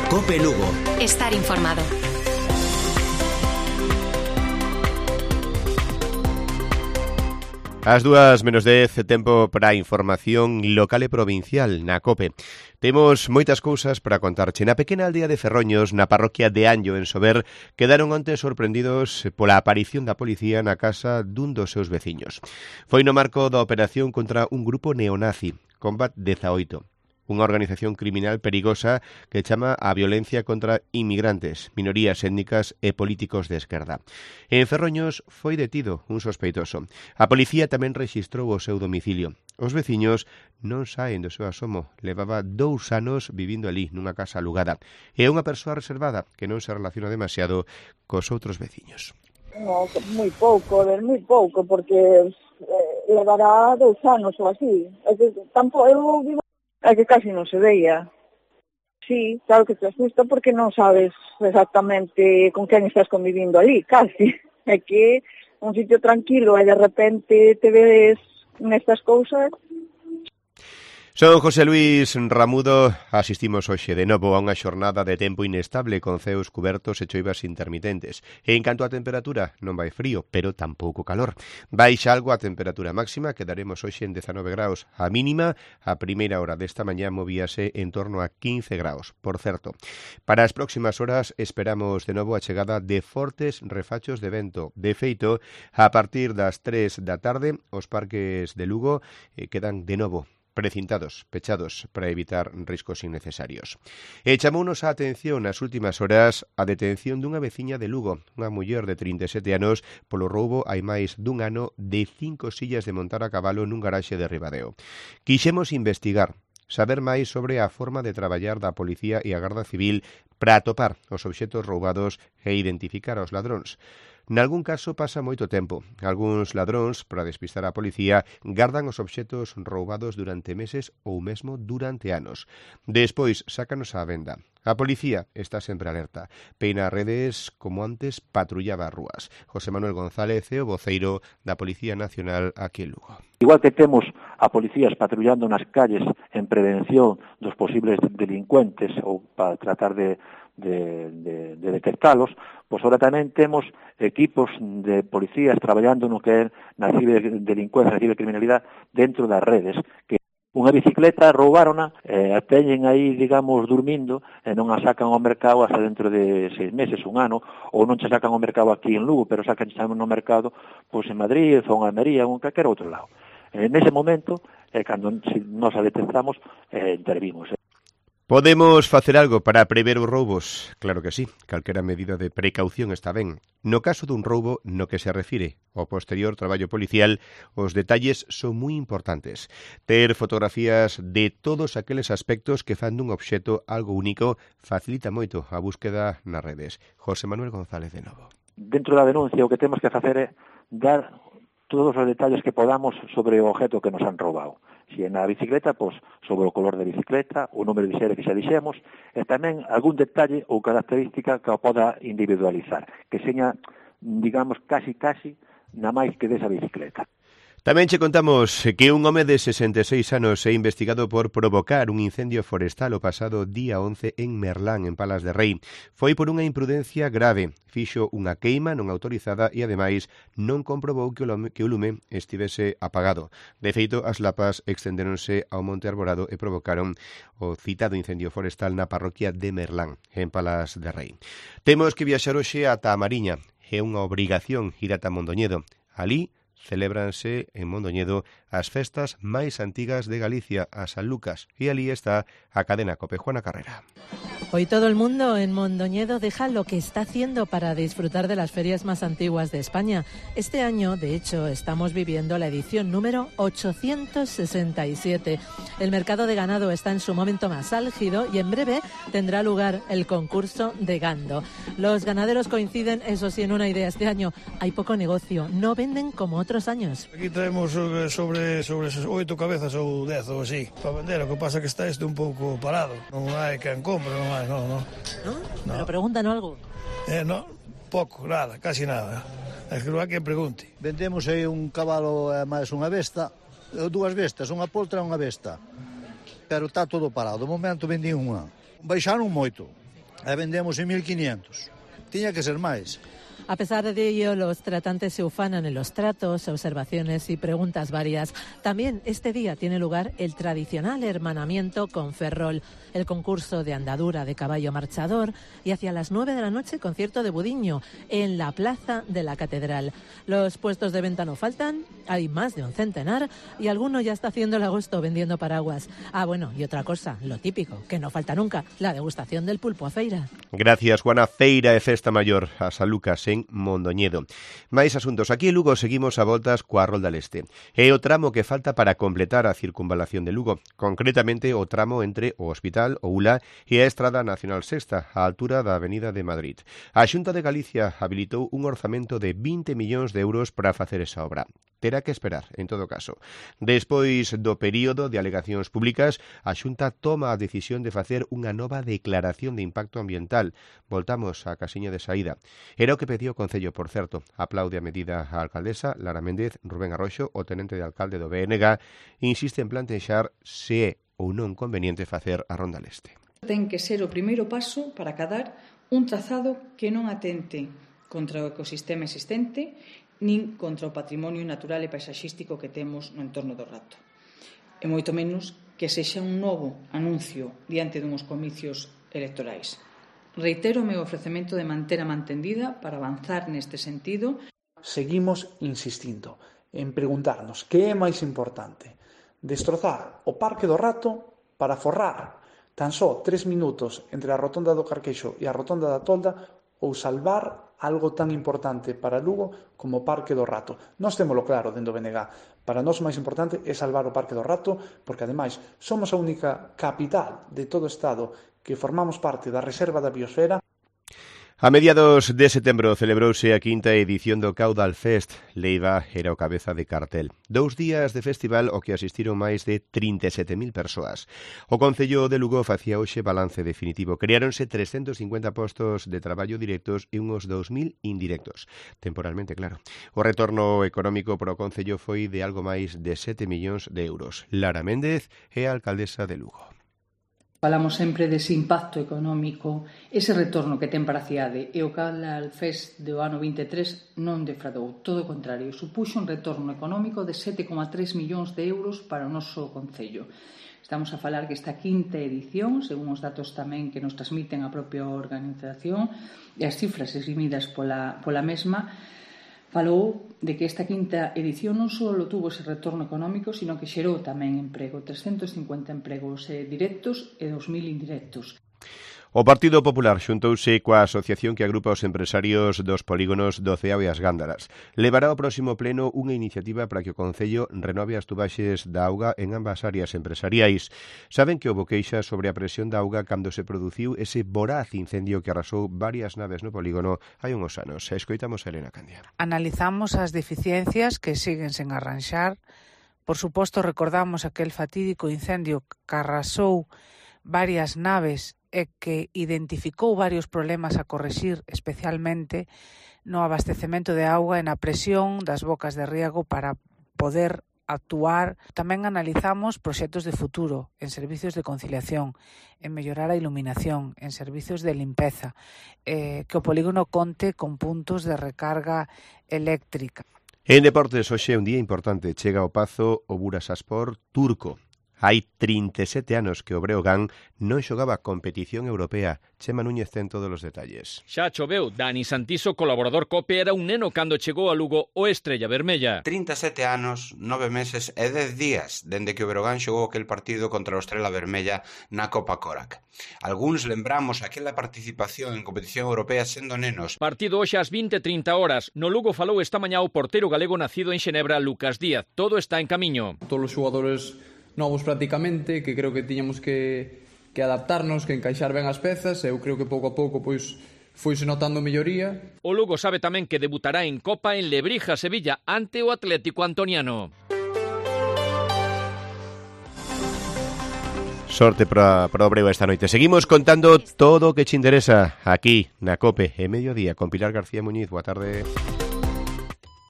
COPE Lugo. Estar informado. As 2:10, tempo para a información local e provincial na COPE. Temos moitas cousas para contarche. Na pequena aldea de Ferroños, na parroquia de Anllo, en Sober, quedaron onte sorprendidos pola aparición da policía na casa dun dos seus veciños. Foi no marco da operación contra un grupo neonazi, Combat 18. Unha organización criminal perigosa que chama a violencia contra inmigrantes, minorías étnicas e políticos de esquerda. En Ferroños foi detido un sospeitoso. A policía tamén rexistrou o seu domicilio. Os veciños non saen do seu asomo. Levaba 2 anos vivindo ali, nunha casa alugada. E é unha persoa reservada que non se relaciona demasiado cos outros veciños. No, moi pouco, porque levará 2 anos ou así. É que tampouco eu vivo. É que casi non se veía. Sí, claro que te asusta porque non sabes exactamente con quen estás convivindo ali, casi. É que un sitio tranquilo e de repente te ves nestas cousas. Son José Luis Ramudo, asistimos hoxe de novo a unha xornada de tempo inestable con ceos cubertos e choivas intermitentes. E en canto a temperatura, non vai frío, pero tampouco calor. Baixa algo a temperatura máxima, quedaremos hoxe en 19 graus. A mínima, a primeira hora desta mañá movíase en torno a 15 graus. Por certo, para as próximas horas esperamos de novo a chegada de fortes refachos de vento. De feito, a partir das 3 da tarde, os parques de Lugo quedan de novo precintados, pechados, para evitar riscos innecesarios. E chamounos a atención nas últimas horas a detención dunha veciña de Lugo, unha muller de 37 anos, polo roubo hai máis dun ano de 5 sillas de montar a cabalo nun garaxe de Ribadeo. Quixemos investigar, saber máis sobre a forma de traballar da Policía e a Garda Civil para atopar os obxetos roubados e identificar aos ladróns. Nalgún caso pasa moito tempo. Algúns ladróns, para despistar a policía, gardan os obxetos roubados durante meses ou mesmo durante anos. Despois, sácanos á venda. A policía está sempre alerta. Peina redes como antes patrullaba as rúas. José Manuel González é o voceiro da Policía Nacional aquí en Lugo. Igual que temos a policías patrullando nas calles en prevención dos posibles delincuentes ou para tratar de detectalos, pois ahora tamén temos equipos de policías traballando no que é na ciberdelincuencia, na cibercriminalidade dentro das redes, que unha bicicleta roubárona, a teñen aí, digamos, dormindo, e non a sacan ao mercado hasta dentro de 6 meses, un ano, ou non se sacan ao mercado aquí en Lugo, pero sacan no mercado pois en Madrid, ou en Almería, ou en calquer outro lado. Nese momento, cando nos a detectamos, intervimos. Podemos facer algo para prever os roubos? Claro que sí, calquera medida de precaución está ben. No caso dun roubo no que se refire ao posterior traballo policial, os detalles son moi importantes. Ter fotografías de todos aqueles aspectos que fan dun obxeto algo único facilita moito a búsqueda nas redes. José Manuel González de novo. Dentro da denuncia o que temos que facer é dar todos os detalles que podamos sobre o objeto que nos han roubado. Se é na bicicleta, pois, sobre o color da bicicleta, o número de serie que xa dixemos, e tamén algún detalle ou característica que o poda individualizar, que seña, digamos, casi, na máis que desa bicicleta. Tamén che contamos que un home de 66 anos é investigado por provocar un incendio forestal o pasado día 11 en Merlán, en Palas de Rei. Foi por unha imprudencia grave. Fixo unha queima non autorizada e, ademais, non comprobou que o lume estivese apagado. De feito, as lapas extendéronse ao monte arborado e provocaron o citado incendio forestal na parroquia de Merlán, en Palas de Rei. Temos que viaxar hoxe ata a Mariña. É unha obrigación ir ata Mondoñedo. Ali celébranse en Mondoñedo as festas máis antigas de Galicia, a San Lucas, e ali está a cadena COPE. Juana Carrera. Hoy todo el mundo en Mondoñedo deja lo que está haciendo para disfrutar de las ferias más antiguas de España. Este año, de hecho, estamos viviendo la edición número 867. El mercado de ganado está en su momento más álgido y en breve tendrá lugar el concurso de gando. Los ganaderos coinciden, eso sí, en una idea. Este año hay poco negocio, no venden como otros años. Aquí traemos sobre 8 cabezas ou 10 ou así para vender. O que pasa que está un pouco parado. Non hai quen compra, non hai, non. ¿No? Pero preguntan algo. No, pouco, nada, casi nada. É que non hai quen pregunte. Vendemos aí un cabalo e máis unha besta, dúas bestas, unha poltra e unha besta. Pero está todo parado. De momento vendí unha. Baixaron moito. e vendemos en 1.500. Tiña que ser máis. A pesar de ello, los tratantes se ufanan en los tratos, observaciones y preguntas varias. También este día tiene lugar el tradicional hermanamiento con Ferrol, el concurso de andadura de caballo marchador y hacia las 9 de la noche concierto de Budiño en la plaza de la Catedral. Los puestos de venta no faltan, hay más de un centenar y alguno ya está haciendo el agosto vendiendo paraguas. Ah, bueno, y otra cosa, lo típico, que no falta nunca, la degustación del pulpo a feira. Gracias, Juana. Feira e Festa Maior a San Lucas en Mondoñedo. Máis asuntos. Aquí en Lugo seguimos a voltas coa Rolda Leste. É o tramo que falta para completar a circunvalación de Lugo, concretamente o tramo entre o Hospital, o ULA, e a Estrada Nacional Sexta, á altura da Avenida de Madrid. A Xunta de Galicia habilitou un orzamento de 20 millóns de euros para facer esa obra. Terá que esperar, en todo caso. Despois do período de alegacións públicas, a Xunta toma a decisión de facer unha nova declaración de impacto ambiental. Voltamos á casiña de saída. Era o que pediu o Concello, por certo. Aplaude a medida a alcaldesa Lara Méndez. Rubén Arroxo, o tenente de alcalde do BNG, insiste en plantexar se é ou non conveniente facer a Ronda Leste. Ten que ser o primeiro paso para acadar un trazado que non atente contra o ecosistema existente nin contra o patrimonio natural e paisaxístico que temos no entorno do Rato. E moito menos que sexa un novo anuncio diante dunhos comicios electorais. Reitero o meu ofrecemento de manter a mantendida para avanzar neste sentido. Seguimos insistindo en preguntarnos que é máis importante: destrozar o Parque do Rato para forrar tan só 3 minutos entre a rotonda do Carqueixo e a rotonda da Tolda, ou salvar algo tan importante para Lugo como o Parque do Rato. Nós témolo claro dentro do BNG. Para nós o máis importante é salvar o Parque do Rato, porque ademais somos a única capital de todo o Estado que formamos parte da Reserva da Biosfera. A mediados de setembro celebrouse a quinta edición do Caudal Fest. Leiva era o cabeza de cartel. 2 días de festival ao que asistiron máis de 37.000 persoas. O Concello de Lugo facía hoxe balance definitivo. Creáronse 350 postos de traballo directos e uns 2.000 indirectos. Temporalmente, claro. O retorno económico para o Concello foi de algo máis de 7 millóns de euros. Lara Méndez é a alcaldesa de Lugo. Falamos sempre dese impacto económico, ese retorno que ten para a cidade, e o Caudal Fest do ano 23 non defraudou, todo o contrario, supuxo un retorno económico de 7,3 millóns de euros para o noso concello. Estamos a falar que esta quinta edición, según os datos tamén que nos transmiten a propia organización e as cifras eximidas pola mesma, falou de que esta quinta edición non só tuvo ese retorno económico, sino que xerou tamén emprego, 350 empregos directos e 2.000 indirectos. O Partido Popular xuntouse coa asociación que agrupa os empresarios dos polígonos do Ceao e as Gándaras. Levará ao próximo pleno unha iniciativa para que o Concello renove as tubaxes da auga en ambas áreas empresariais. Saben que houbo queixas sobre a presión da auga cando se produciu ese voraz incendio que arrasou varias naves no polígono hai uns anos. Escoitamos a Elena Candia. Analizamos as deficiencias que siguen sen arranxar. Por suposto, recordamos aquel fatídico incendio que arrasou varias naves e que identificou varios problemas a correxir, especialmente no abastecemento de auga e na presión das bocas de riego para poder actuar. Tamén analizamos proxectos de futuro en servicios de conciliación, en mellorar a iluminación, en servicios de limpeza, que o polígono conte con puntos de recarga eléctrica. En deportes, hoxe é un día importante. Chega ao Pazo o Bursaspor turco. Hai 37 anos que o Breogán non xogaba competición europea. Chema Núñez ten todos os detalles. Xa choveu. Dani Santiso, colaborador COPE, era un neno cando chegou a Lugo o Estrella Vermella. 37 anos, 9 meses e 10 días dende que o Breogán xogou aquel partido contra o Estrella Vermella na Copa Corac. Algúns lembramos aquela participación en competición europea sendo nenos. Partido hoxe ás 20:30 horas. No Lugo falou esta mañá o portero galego nacido en Xenebra, Lucas Díaz. Todo está en camiño. Todos os xogadores novos prácticamente, que creo que tiñamos que adaptarnos, que encaixar ben as pezas, e eu creo que pouco a pouco pois foise notando melloría. O Lugo sabe tamén que debutará en Copa en Lebrija, Sevilla, ante o Atlético Antoniano. Sorte para o Breo esta noite. Seguimos contando todo o que che interesa aquí na COPE e mediodía con Pilar García Muñiz. Boa tarde.